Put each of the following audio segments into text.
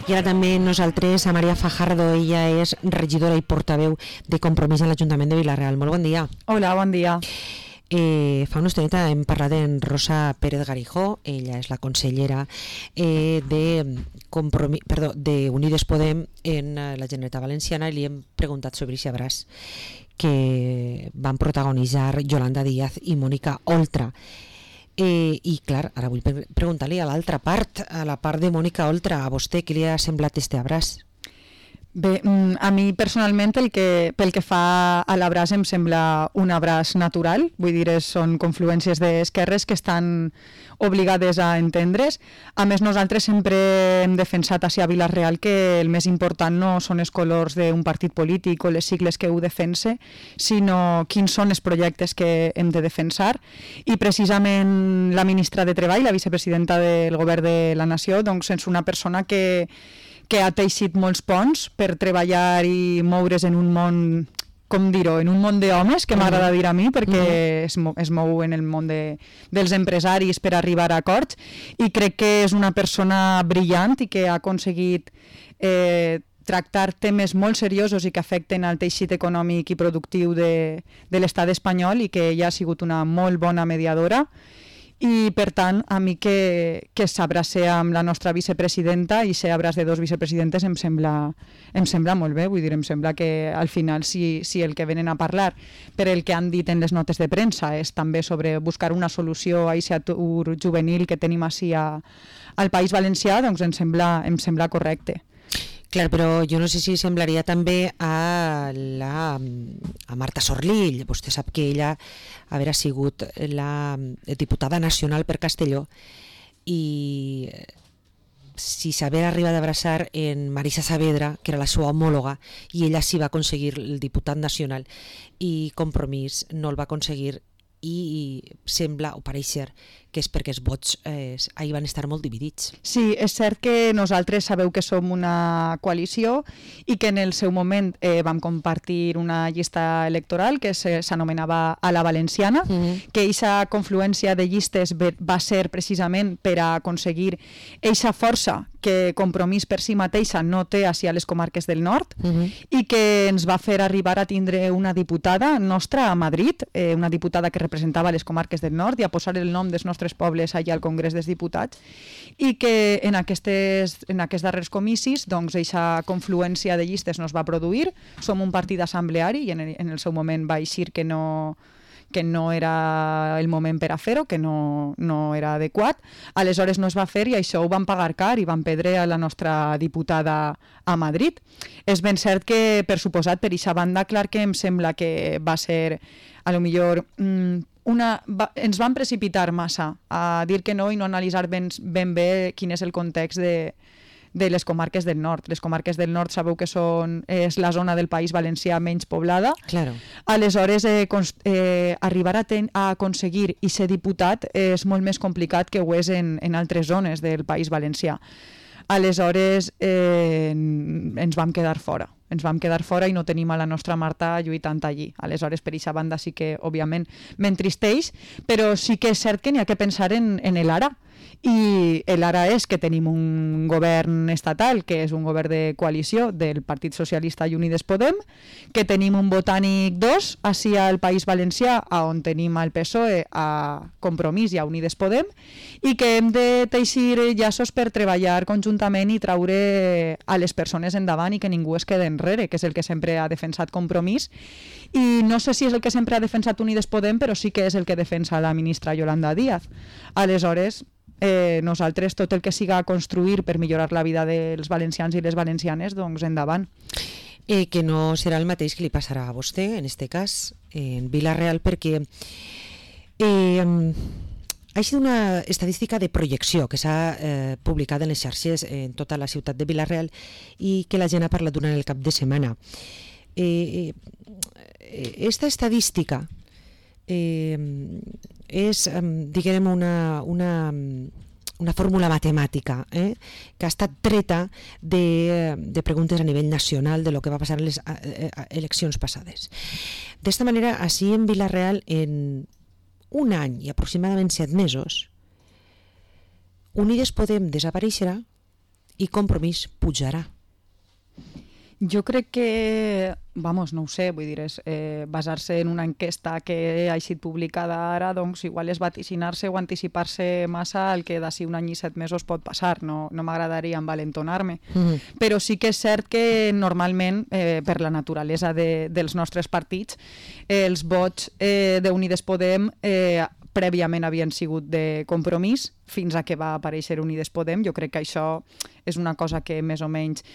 I ara també nosaltres a Maria Fajardo, ella és regidora i portaveu de Compromís a l'Ajuntament de Vila-real. Molt bon dia. Hola, bon dia. Fa una estoneta hem parlat amb Rosa Pérez Garijó, ella és la consellera d'Unides Podem en la Generalitat Valenciana, i li hem preguntat sobre aquest abraç que van protagonitzar Yolanda Díaz i Mònica Oltra. I clar, ara vull preguntar-li a l'altra part, a la part de Mònica Oltra, a vostè què li ha semblat este abraç? Bé, a mi personalment pel que fa a l'abraç em sembla un abraç natural, vull dir, són confluències d'esquerres que estan obligades a entendre's. A més, nosaltres sempre hem defensat a Vila-real que el més important no són els colors d'un partit polític o les sigles que ho defense, sinó quins són els projectes que hem de defensar. I precisament la ministra de Treball, la vicepresidenta del Govern de la Nació, doncs és una persona que ha teixit molts ponts per treballar i moure's en un món, com dir-ho, en un món d'homes, que m'agrada dir a mi, perquè es mou en el món dels empresaris per arribar a acords, i crec que és una persona brillant i que ha aconseguit tractar temes molt seriosos i que afecten al teixit econòmic i productiu de l'estat espanyol, i que ella ha sigut una molt bona mediadora. I per tant, a mi que s'abraci amb la nostra vicepresidenta i ser abraç de dos vicepresidentes em sembla molt bé. Vull dir, em sembla que al final si el que venen a parlar, per el que han dit en les notes de premsa, és també sobre buscar una solució a aquest atur juvenil que tenim així al País Valencià, doncs em sembla correcte. Clar, però jo no sé si semblaria també a Marta Sorlill. Vostè sap que ella haurà sigut la diputada nacional per Castelló, i si s'haver arribat a abraçar en Marisa Saavedra, que era la seva homòloga, i ella sí va aconseguir el diputat nacional, i Compromís no el va aconseguir, i sembla o pareix ser que és perquè els vots ahir van estar molt dividits. Sí, és cert que nosaltres sabeu que som una coalició i que en el seu moment vam compartir una llista electoral que s'anomenava A la Valenciana, que aquesta confluència de llistes va ser precisament per a aconseguir aquesta força que Compromís per si mateixa no té a les comarques del nord, i que ens va fer arribar a tindre una diputada nostra a Madrid, una diputada que representava les comarques del nord, i a posar el nom dels nostres pobles allà al Congrés dels Diputats, i que en aquests darrers comicis doncs aquesta confluència de llistes no es va produir. Som un partit assembleari i en el seu moment va eixir que no era el moment per a fer-ho, que no era adequat. Aleshores no es va fer, i això ho van pagar car i van perdre a la nostra diputada a Madrid. És ben cert que, per suposat, per aquesta banda, clar que em sembla que va ser, a lo millor, ens van precipitar massa a dir que no i no analitzar ben bé quin és el context de les comarques del nord. Les comarques del nord sabeu que és la zona del País Valencià menys poblada. Claro. Aleshores, arribar a aconseguir i ser diputat és molt més complicat que ho és en altres zones del País Valencià. Aleshores, ens vam quedar fora. I no tenim a la nostra Marta lluitant allí. Aleshores, per aquesta banda sí que, òbviament, m'entristeix, però sí que és cert que n'hi ha que pensar en l'ara. I l'ara és que tenim un govern estatal, que és un govern de coalició del Partit Socialista i Unides Podem, que tenim un Botànic 2 així al País Valencià, on tenim el PSOE, a Compromís i a Unides Podem, i que hem de teixir llaços per treballar conjuntament i traure a les persones endavant i que ningú es quede enrere, que és el que sempre ha defensat Compromís. I no sé si és el que sempre ha defensat Unides Podem, però sí que és el que defensa la ministra Yolanda Díaz. Aleshores, nosaltres tot el que siga construir per millorar la vida dels valencians i les valencianes, doncs endavant. Que no serà el mateix que li passarà a vostè, en este cas, en Vila-real, perquè ha sigut una estadística de projecció que s'ha publicat en les xarxes en tota la ciutat de Vila-real i que la gent ha parlat durant el cap de setmana. Esta estadística és, diguem, una fórmula matemàtica que ha estat treta de preguntes a nivell nacional de lo que va passar en les eleccions passades. D'esta manera, així en Vila-real, en un any i aproximadament 7 mesos, Unides Podem desapareixerà i Compromís pujarà? Jo crec que, vamos, no ho sé, vull dir, basar-se en una enquesta que ha estat publicada ara, doncs igual és vaticinar-se o anticipar-se massa al que d'ací un any i 7 mesos pot passar. No m'agradaria envalentonar-me. Però sí que és cert que normalment, per la naturalesa dels nostres partits, els vots d'Unides Podem prèviament havien sigut de Compromís fins a que va aparèixer Unides Podem. Jo crec que això és una cosa que més o menys...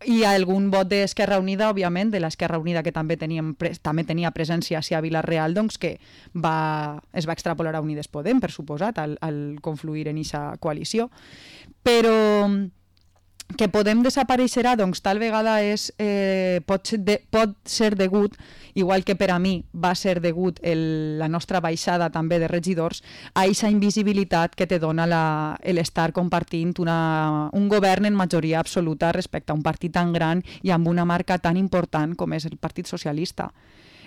Hi ha algun vot d'Esquerra Unida, òbviament, de l'Esquerra Unida que també tenia presència a Vila-real, doncs que es va extrapolar a Unides Podem, per suposat, al confluir en aquesta coalició. Però que Podem desapareixerà, doncs tal vegada pot ser degut, igual que per a mi va ser degut la nostra baixada també de regidors, a aquesta invisibilitat que te dona l'estar compartint un govern en majoria absoluta respecte a un partit tan gran i amb una marca tan important com és el Partit Socialista.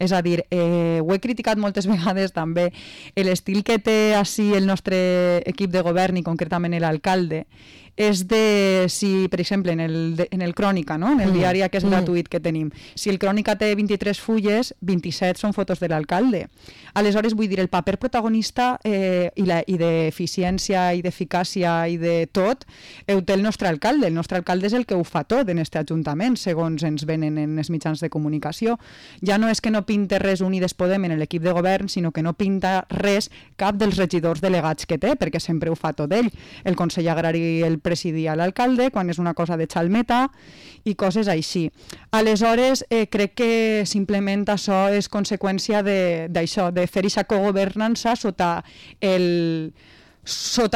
És a dir, ho he criticat moltes vegades també, l'estil que té així el nostre equip de govern i concretament l'alcalde, és de, si per exemple en el Crònica, no? En el diari aquest gratuït que tenim, si el Crònica té 23 fulles, 27 són fotos de l'alcalde. Aleshores, vull dir, el paper protagonista i d'eficiència i d'eficàcia i de tot ho té el nostre alcalde. El nostre alcalde és el que ho fa tot en aquest ajuntament, segons ens venen en els mitjans de comunicació. Ja no és que no pinte res Unides Podem en l'equip de govern, sinó que no pinta res cap dels regidors delegats que té, perquè sempre ho fa tot ell. El Consell Agrari el presidia l'alcalde, quan és una cosa de xalmeta i coses així. Aleshores, crec que simplement això és conseqüència d'això, de fer aquesta cogovernança sota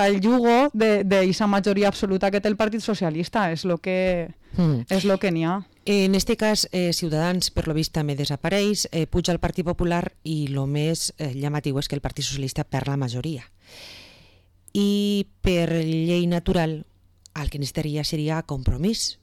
el jugo d'aquesta majoria absoluta que té el Partit Socialista. És el que n'hi ha. En este cas, Ciutadans, per lo vist, també desapareix, puja el Partit Popular i el més llamatiu és que el Partit Socialista perd la majoria. I per llei natural, el que necessitaria seria Compromís.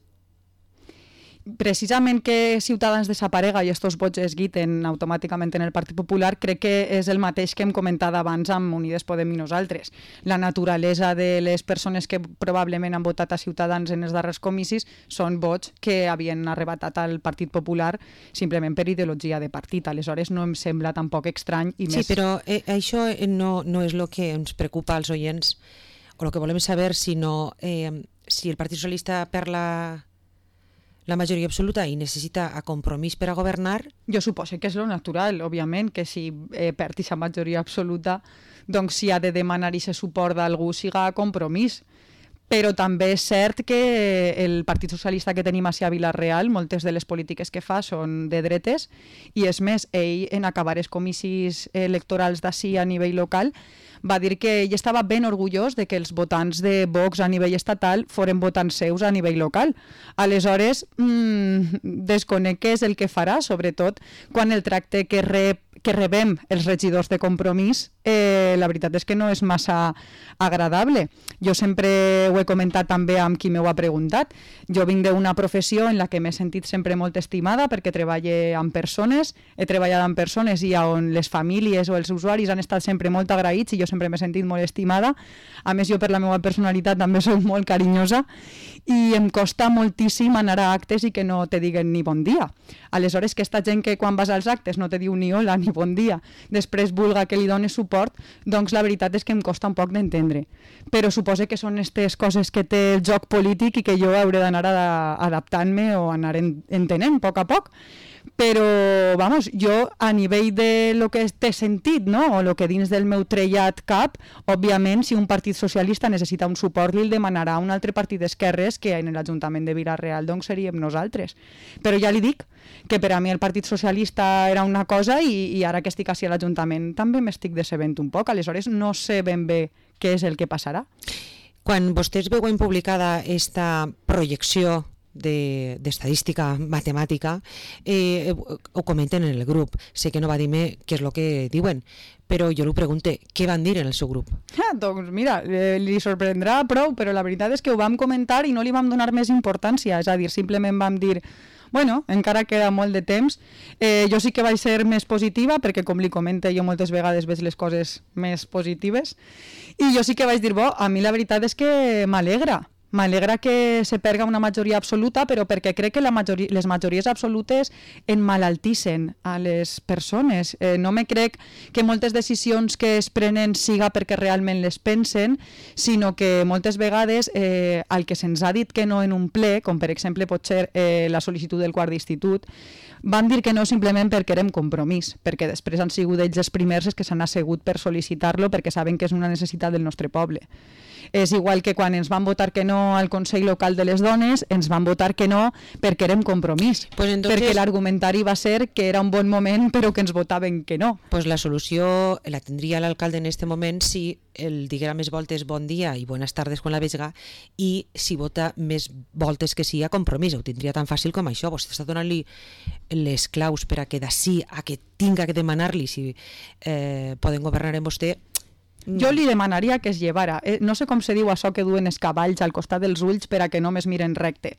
Precisament que Ciutadans desaparega i estos vots es guiten automàticament en el Partit Popular, crec que és el mateix que hem comentat abans amb Unides Podem i nosaltres. La naturalesa de les persones que probablement han votat a Ciutadans en els darrers comicis són vots que havien arrebatat al Partit Popular simplement per ideologia de partit. Aleshores no em sembla tampoc estrany. I sí, però això no és el que ens preocupa als oients, o el que volem saber, sinó si el Partit Socialista perd la majoria absoluta i necessita a Compromís per a governar. Jo suposo que és lo natural, òbviament, que si perd aquesta majoria absoluta, doncs si ha de demanar aquest suport d'algú siga a Compromís. Però també és cert que el Partit Socialista que tenim a Vila-real, moltes de les polítiques que fa són de dretes, i és més, ell en acabar els comicis electorals d'ací a nivell local va dir que ell estava ben orgullós de que els votants de Vox a nivell estatal foren votants seus a nivell local. Aleshores, desconec què és el que farà, sobretot quan el tracte que rebem els regidors de Compromís, la veritat és que no és massa agradable. Jo sempre ho he comentat també amb qui m'ho ha preguntat. Jo vinc d'una professió en la que m'he sentit sempre molt estimada perquè treballo amb persones, he treballat amb persones i on les famílies o els usuaris han estat sempre molt agraïts i jo sempre m'he sentit molt estimada. A més, jo per la meva personalitat també soc molt carinyosa i em costa moltíssim anar a actes i que no te diguen ni bon dia. Aleshores, aquesta gent que quan vas als actes no te diu ni hola ni bon dia, després vulga que li dones suport, doncs la veritat és que em costa un poc d'entendre. Però suposo que són aquestes coses que té el joc polític i que jo hauré d'anar adaptant-me o anar entenent a poc. Però, vamos, jo a nivell de lo que té sentit, no? O lo que dins del meu trellat cap, òbviament, si un partit socialista necessita un suport, li el demanarà un altre partit d'esquerres que en l'Ajuntament de Vila-real doncs seríem nosaltres. Però ja li dic que per a mi el Partit Socialista era una cosa i ara que estic així a l'Ajuntament també m'estic decebent un poc. Aleshores no sé ben bé què és el que passarà. Quan vostès veuen publicada esta projecció d'estadística matemàtica, ho comenten en el grup. Sé que no va dir-me què és el que diuen, però jo li pregunto, què van dir en el seu grup? Doncs mira, li sorprendrà prou, però la veritat és que ho vam comentar i no li vam donar més importància, és a dir, simplement vam dir bueno, encara queda molt de temps. Jo sí que vaig ser més positiva, perquè com li comente, jo moltes vegades veig les coses més positives, i jo sí que vaig dir, a mi la veritat és que m'alegra, M'alegra que se perga una majoria absoluta, però perquè crec que les majories absolutes emmalaltissen a les persones. No me crec que moltes decisions que es prenen siga perquè realment les pensen, sinó que moltes vegades el que se'ns ha dit que no en un ple, com per exemple pot ser la sol·licitud del quart d'institut, van dir que no simplement perquè érem compromís, perquè després han sigut ells els primers que s'han assegut per sol·licitar-lo perquè saben que és una necessitat del nostre poble. És igual que quan ens van votar que no al Consell Local de les Dones, ens van votar que no perquè érem compromís, pues entonces, perquè l'argumentari va ser que era un bon moment però que ens votaven que no. Pues la solució la tindria l'alcalde en este moment si el diguera més voltes bon dia i buenas tardes quan la vesga i si vota més voltes que sí a compromís. Ho tindria tan fàcil com això. Vostè està donant-li les claus per a que d'ací a que tinga que demanar-li si poden governar en vostè. Jo li demanaria que es llevara. No sé com se diu això que duen els cavalls al costat dels ulls per a que no més miren recte.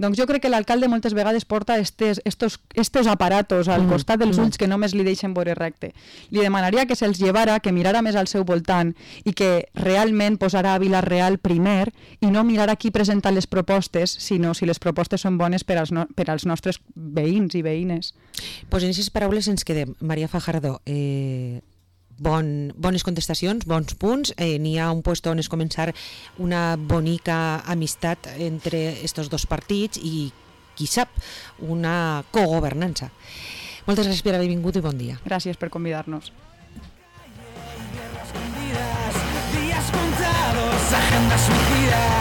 Doncs jo crec que l'alcalde moltes vegades porta estos aparatos al costat dels ulls que només li deixen veure recte. Li demanaria que se'ls llevara, que mirara més al seu voltant i que realment posara a Vila-real primer i no mirar qui presenta les propostes, sinó si les propostes són bones per als nostres veïns i veïnes. Pues en aquestes paraules ens quedem. Maria Fajardo, bones contestacions, bons punts. N'hi ha un lloc on es començar una bonica amistat entre estos dos partits i, qui sap, una cogovernança. Moltes gràcies per haver vingut i bon dia. Gràcies per convidar-nos. Días contados, agendas suicidas.